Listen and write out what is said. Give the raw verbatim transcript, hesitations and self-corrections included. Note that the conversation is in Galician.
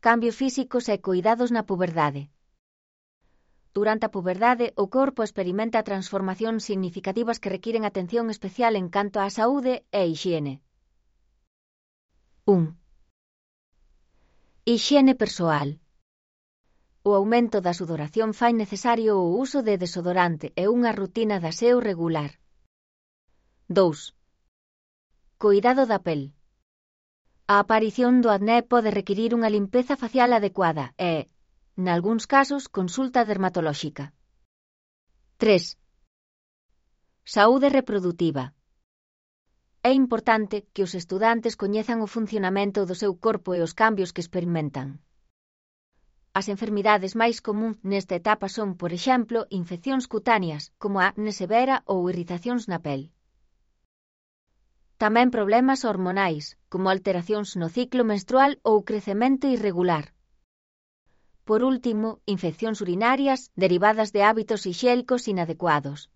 cambios físicos e coidados na puberdade. Durante a puberdade, o corpo experimenta transformacións significativas que requiren atención especial en canto á saúde e hixiene. un. Hixiene persoal. O aumento da sudoración fai necesario o uso de desodorante e unha rutina de aseo regular. dous. Coidado da pel. A aparición do acné pode requirir unha limpeza facial adecuada e, nalgúns casos, consulta dermatolóxica. tres. Saúde reprodutiva. É importante que os estudantes coñezan o funcionamento do seu corpo e os cambios que experimentan. As enfermidades máis comúns nesta etapa son, por exemplo, infeccións cutáneas, como a acné severa ou irritacións na pel. Tamén problemas hormonais, como alteracións no ciclo menstrual ou crecemento irregular. Por último, infeccións urinarias derivadas de hábitos hixiénicos inadecuados.